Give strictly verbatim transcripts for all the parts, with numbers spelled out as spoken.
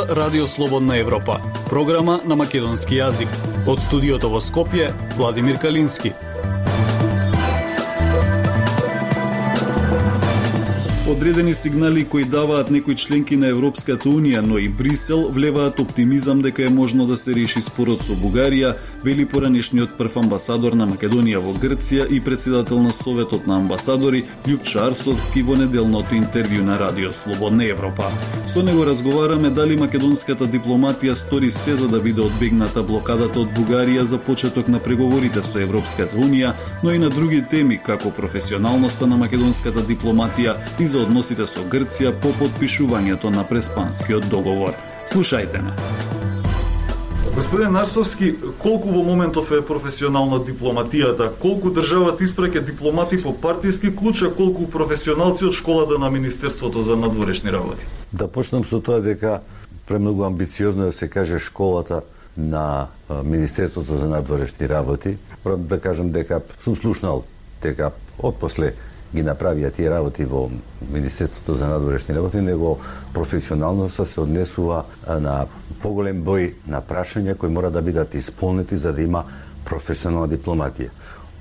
слуша Радио Слободна Европа, програма на македонски јазик. Од студиото во Скопје, Владимир Калински. Одредени сигнали кои даваат некои членки на Европската Унија, но и Брисел, влеваат оптимизам дека е можно да се реши спорот со Бугарија, вели поранешниот прв амбасадор на Македонија во Грција и председател на Советот на амбасадори Љупчо Арсовски во неделното интервју на Радио Слободна Европа. Со него разговараме дали македонската дипломатија стори се за да биде одбегната блокадата од Бугарија за почеток на преговорите со Европската Унија, но и на други теми како професионалноста на македонската дипломатија и за односите со Грција по потпишувањето на Преспанскиот договор. Слушајте ме. Господин Арсовски, колку во моментов е професионална дипломатијата? Колку државата испраќа дипломати по партиски клуч, а колку професионалци од школата на Министерството за надворешни работи? Да почнам со тоа дека премногу амбициозно да се каже школата на Министерството за надворешни работи. Прво да кажам дека сум слушнал дека отпосле ги направија тие работи во Министерството за надворешни работи, него професионално се однесува на поголем број на прашања кои мора да бидат исполнети за да има професионална дипломатија.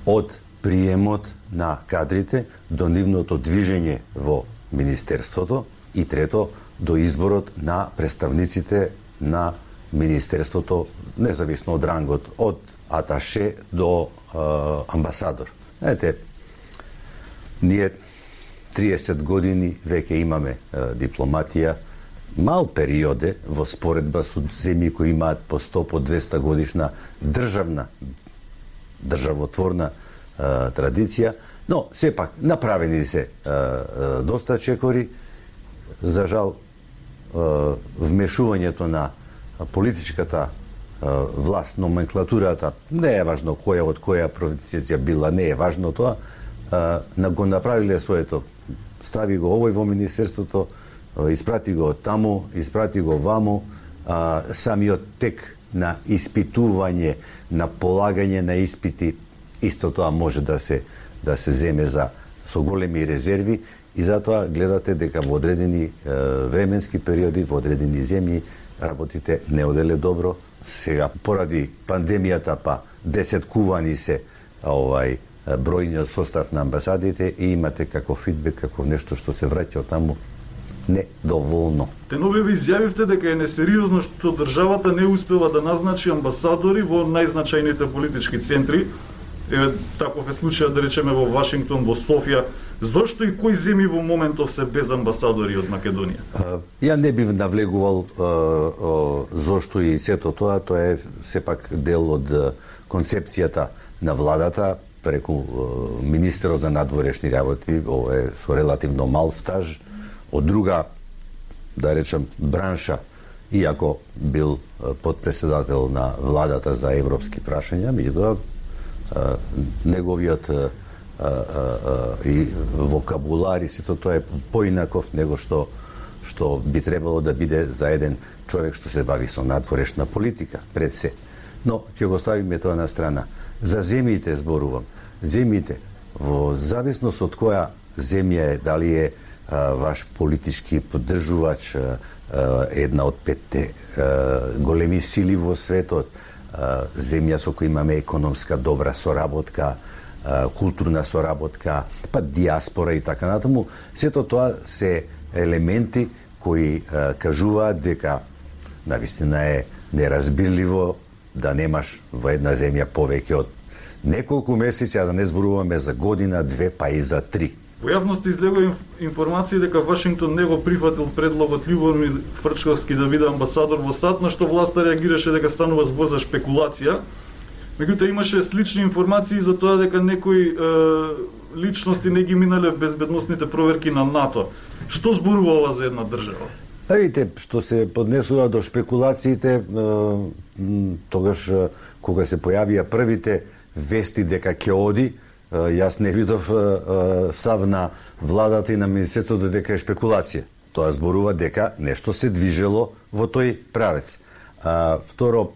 Од приемот на кадрите до нивното движење во Министерството и трето до изборот на представниците на Министерството, независно од рангот, од аташе до е, амбасадор. Знаете, ние триесет години веќе имаме е, дипломатија, мал периоде во споредба со земји кои имаат по сто, по двесте годишна државна, државотворна е, традиција, но сепак направени се е, е, доста чекори. За жал, е, вмешувањето на политичката е, власт, номенклатурата, не е важно која од која провинција била, не е важно тоа, на го направиле своето. Стави го овој во Министерството, испрати го таму, испрати го ваму, а, самиот тек на испитување, на полагање на испити, исто тоа може да се да се земе за со големи резерви и затоа гледате дека во одредени е, временски периоди, во одредени земји работите не оделе добро. Сега поради пандемијата па десеткувани се овај бројниот состав на амбасадите и имате како фидбек, како нешто што се враќа од таму недоволно. Тенове ви изјавивте дека е несериозно што државата не успела да назначи амбасадори во најзначајните политички центри. Еве, таков е случајот, да речеме, во Вашингтон, во Софија. Зошто и кои земји во моментов се без амбасадори од Македонија? А, ја не бив навлегувал а, а, зошто и сето тоа, тоа е сепак дел од концепцијата на владата преку министерот за надворешни работи, ова е со релативно мал стаж, од друга, да речем, бранша, иако бил подпредседател на владата за европски прашања, меѓутоа неговиот а, а, а, и вокабулар и сето тоа е поинаков него што што би требало да биде за еден човек што се бави со надворешна политика пред се. Но ќе го ставиме тоа на страна. За земјите зборувам. Земјите, во зависност од која земја е, дали е а, ваш политички поддржувач, а, а, една од петте а, големи сили во светот, а, земја со која имаме економска добра соработка, а, културна соработка, па диаспора и така натаму, сето тоа се елементи кои а, кажуваат дека навистина е неразбирливо да немаш во една земја повеќе од неколку месеци, а да не зборуваме за година, две, па и за три. Во јавноста излегува информација дека Вашингтон не го прифатил предлогот Љубомир Фрчковски да биде амбасадор во САД, на што власта реагираше дека станува збор за шпекулација. Меѓутоа имаше слични информации за тоа дека некои е, личности не ги минале безбедносните проверки на НАТО. Што зборува ова за една држава? А видите, што се поднесува до шпекулациите, тогаш кога се појавија првите вести дека ќе оди, јас не видов став на владата и на Министерството дека е шпекулација. Тоа зборува дека нешто се движело во тој правец. А, второ,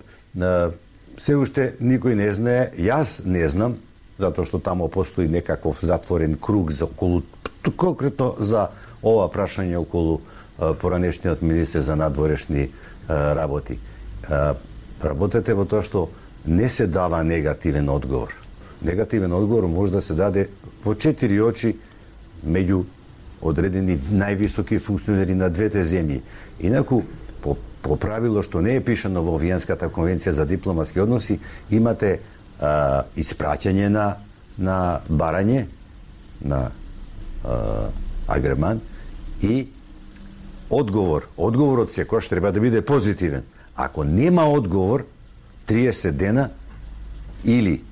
се уште никој не знае, јас не знам, затоа што тамо постои некаков затворен круг за околу, конкретно за ова прашање околу поранешниот министер за надворешни работи. Работете во тоа што не се дава негативен одговор. Негативен одговор може да се даде во четири очи меѓу одредени највисоки функционери на двете земји. Инаку, по, по правило што не е пишано во Виенската конвенција за дипломатски односи, имате а, испраќање на, на барање, на а, агреман и одговор. Одговорот секојаш треба да биде позитивен. Ако нема одговор, триесет дена или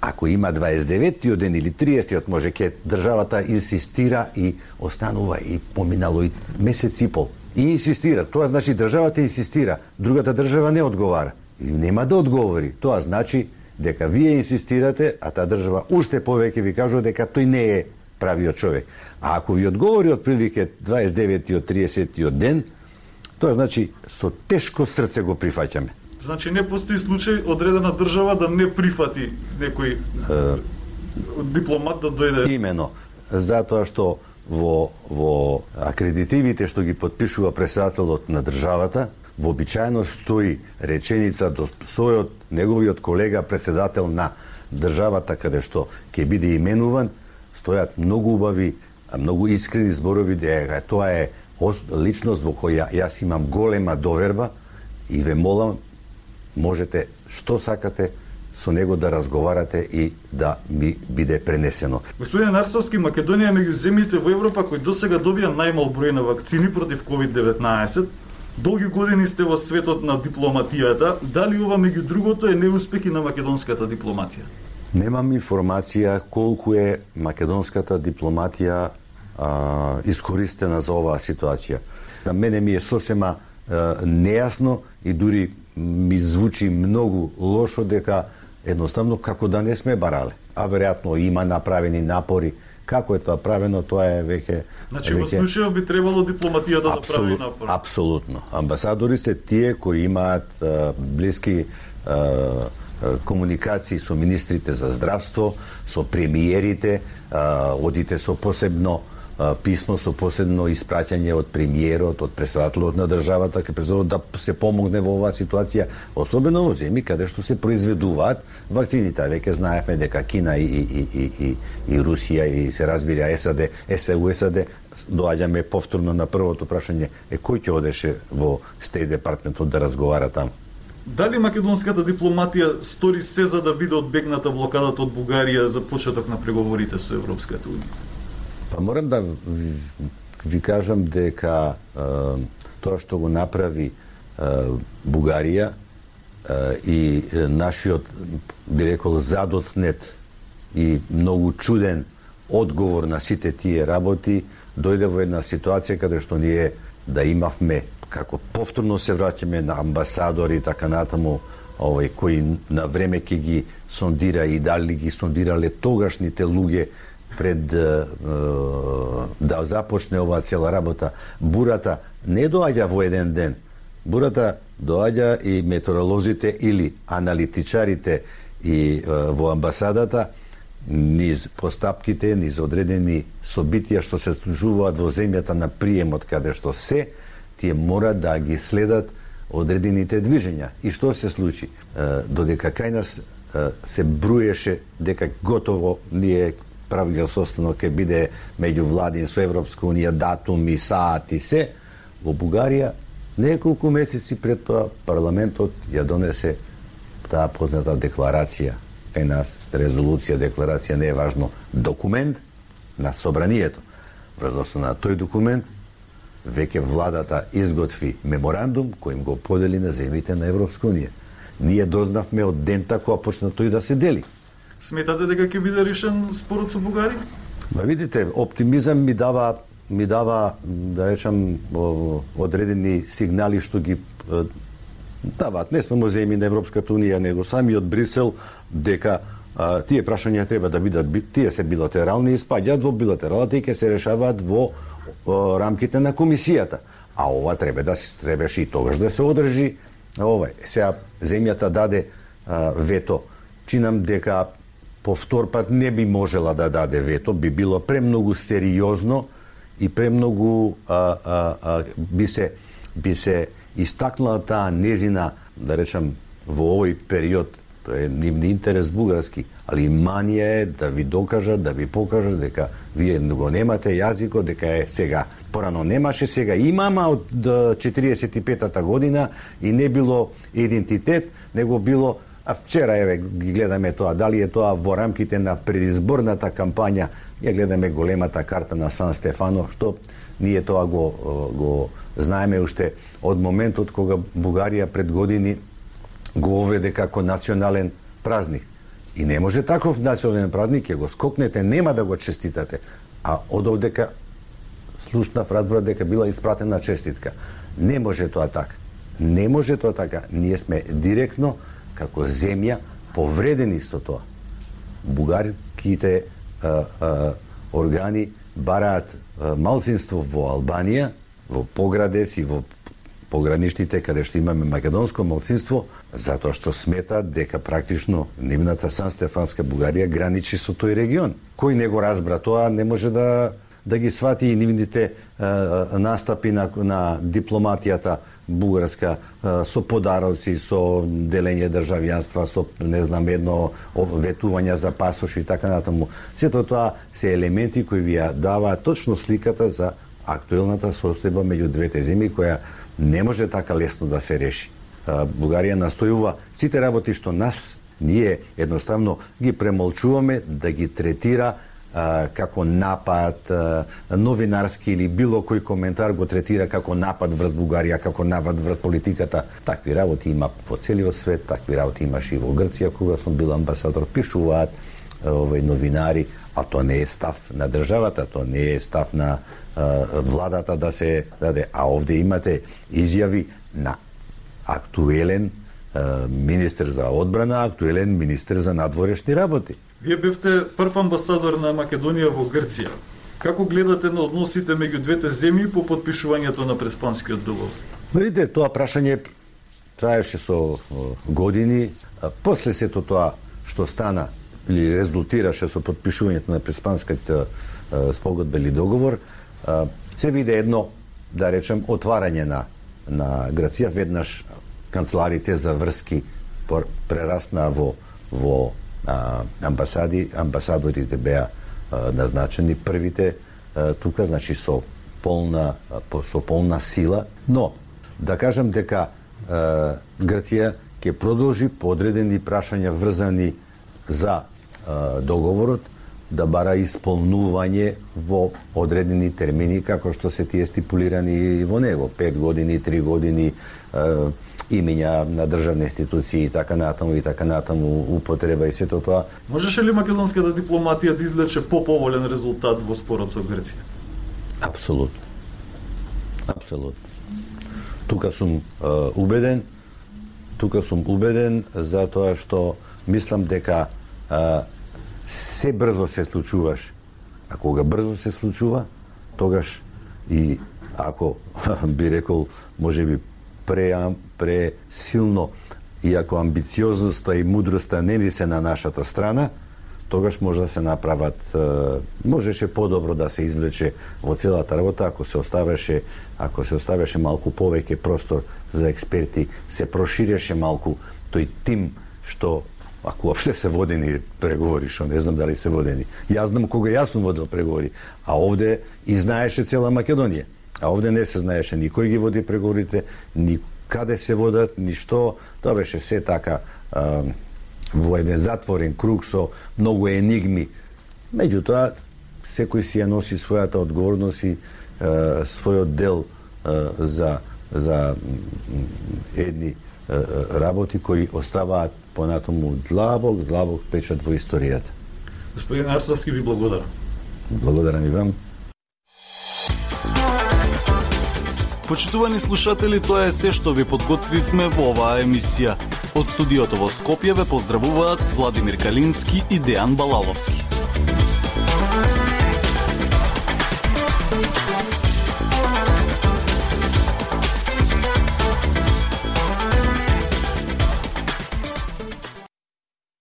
ако има дваесет и деветиот ден или триесетиот, може ке државата инсистира и останува и поминало и месец и пол. И инсистира. Тоа значи државата инсистира, другата држава не одговара. И нема да одговори. Тоа значи дека вие инсистирате, а таа држава уште повеќе ви кажува дека тој не е правиот човек. А ако ви одговори отприлике дваесет и деветиот, триесетиот ден, тоа значи со тешко срце го прифаќаме. Значи не постои случај одредена држава да не прифати некој е, дипломат да дојде. Имено, затоа што во во акредитивите што ги потпишува претседателот на државата, вообичаено стои реченица до својот неговиот колега претседател на државата каде што ќе биде именуван, стојат многу убави, многу искрени зборови дека тоа е личност во која јас имам голема доверба и ве молам, можете што сакате со него да разговарате и да ми биде пренесено. Господин Арсовски, Македонија меѓу земјите во Европа кои досега добија најмал број на вакцини против ковид деветнаесет. Долги години сте во светот на дипломатијата. Дали ова меѓу другото е неуспех и на македонската дипломатија? Немам информација колку е македонската дипломатија а, искористена за оваа ситуација. На мене ми е сосема а, нејасно и дури ми звучи многу лошо дека едноставно како да не сме барале. А веројатно има направени напори. Како е тоа правено, тоа е веќе... Значи, во случајот би требало дипломатијата да прави напор. Апсолутно. Амбасадори се тие кои имаат а, блиски а, комуникации со министрите за здравство, со премиерите, а, одите со посебно а, писмо, со посебно испраќање од премиерот, од претседателот на државата, ке презорот да се помогне во оваа ситуација, особено во земји каде што се произведуваат вакцините. Веќе знаевме дека Кина и, и, и, и, и Русија и се разбира САД, СУ САД, доаѓаме повторно на првото прашање, е кој ќе одеше во Стејт департментот да разговара таму? Дали македонската дипломатија стори се за да биде одбегната блокадата од Бугарија за почеток на преговорите со Европската унија? Па морам да ви, ви кажам дека е, тоа што го направи е, Бугарија е, и е, нашиот, би рекол, задоцнет и многу чуден одговор на сите тие работи дојде во една ситуација каде што ние да имавме, како повторно се враќаме на амбасадори и така натаму, овој кои на време ќе ги сондира и дали ги сондирале тогашните луѓе пред е, да започне оваа цела работа. Бурата не доаѓа во еден ден. Бурата доаѓа и метеоролозите или аналитичарите и е, во амбасадата низ постапките, низ одредени собитија што се случуваат во земјата на приемот каде што се, тие мора да ги следат одредените движења. И што се случи? Е, додека кај нас е, се бруеше дека готово ние правилниот состанок ќе биде меѓу владин со Европска унија, датуми, саати, се, во Бугарија неколку месеци пред тоа парламентот ја донесе таа позната декларација. Кај нас резолуција, декларација не е важно, документ на собранието. Врз основа на тој документ веќе владата изготви меморандум кој им го подели на земјите на Европска унија. Ние дознавме од дента кога почна тој да се дели. Сметате дека ќе биде решен спорот со Бугарија? Ма видите, оптимизам ми дава ми дава да речам одредени сигнали што ги даваат не само земји на Европската унија, него самиот Брисел дека а, тие прашања треба да бидат тие се билатерални и спаѓаат во билатералата и ќе се решаваат во о, рамките на комисијата. А ова треба да се требаше и тогаш да се одржи овај. Сега земјата даде а, вето. Чинам дека по втор пат не би можела да даде вето, би било премногу сериозно и премногу а, а, а, би се би се истакнала таа незина, да речам, во овој период, тоа е нивни интерес бугарски, али манија е да ви докажат, да ви покажат дека вие го немате јазикот, дека е сега. Порано немаше, сега имама од четириесет и петата година и не било идентитет, него било. А вчера, еве, ги гледаме тоа, дали е тоа во рамките на предизборната кампања, ја гледаме големата карта на Сан Стефано, што ние тоа го, го знаеме уште од моментот кога Бугарија пред години го оведе како национален празник. И не може таков национален празник, ќе го скокнете, нема да го честитате. А од овдека слушнав, разбрав дека била испратена честитка. Не може тоа така. Не може тоа така. Ние сме директно како земја повредени со тоа. Бугарските а, а, органи бараат а, малцинство во Албанија, во поградец и во пограничните каде што имаме македонско малцинство, затоа што сметаат дека практично нивната Сан-Стефанска Бугарија граничи со тој регион. Кој не го разбра тоа, не може да да ги свати и нивните а, настапи на, на дипломатијата бугарска, а, со подароци, со делење државјанства, со, не знам, едно ветување за пасош и така натаму. Сето тоа се елементи кои ви ја даваат точно сликата за актуелната состојба меѓу двете земји, која не може така лесно да се реши. А, Бугарија настојува сите работи што нас, ние едноставно ги премолчуваме, да ги третира а, како напад, а, новинарски или било кој коментар го третира како напад врз Бугарија, како напад врз политиката. Такви работи има по целиот свет, такви работи имаше и во Грција, кога сум бил амбасадор, пишуваат овој новинари, а тоа не е став на државата, тоа не е став на а, владата да се даде. А овде имате изјави на актуелен а, министер за одбрана, актуелен министер за надворешни работи. Вие бевте прв амбасадор на Македонија во Грција. Како гледате на односите меѓу двете земји по потпишувањето на Преспанскиот договор? Видите, тоа прашање траеше со години. А после сето тоа што стана или резултираше со потпишувањето на Преспанскиот спогодба или договор, се виде едно, да речем, отварање на, на Грција. Веднаш канцеларите за врски прерасна во, во а, амбасади. Амбасадорите беа а, назначени првите а, тука, значи со полна, со полна сила. Но, да кажам дека а, Грција ќе продолжи по одредени прашања врзани за а, договорот, да бара исполнување во одредени термини, како што се тие стипулирани во него. Пет години, три години, а, имења на државни институции и така натаму и така натаму, употреба и сето тоа. Можеше ли македонската дипломатија да извлече поповолен резултат во спорот со Грција? Апсолутно. Апсолутно. Тука сум а, убеден, тука сум убеден затоа што мислам дека а, се брзо се случуваш. А кога брзо се случува, тогаш и ако би рекол можеби пре пре силно и ако амбициозноста и мудроста не ни се на нашата страна, тогаш може да се направат, можеше подобро да се извлече во целата работа ако се оставеше, ако се оставеше малку повеќе простор за експерти, се проширеше малку тој тим што ако воопште се водени преговори, што не знам дали се водени. Јас знам кога јас сум водил преговори, а овде и знаеше цела Македонија. А овде не се знаеше никој ги води преговорите, ни каде се водат, ни што. Тоа беше се така а, во еден затворен круг со многу енигми. Меѓутоа, секој си ја носи својата одговорност и а, својот дел а, за, за едни а, работи кои оставаат понатаму длабок, длабок печат во историјата. Господин Арцовски, ви благодарам. Благодарам и вам. Почитувани слушатели, тоа е се што ви подготвивме во оваа емисија. Од студиото во Скопје ве поздравуваат Владимир Калински и Дејан Балаловски.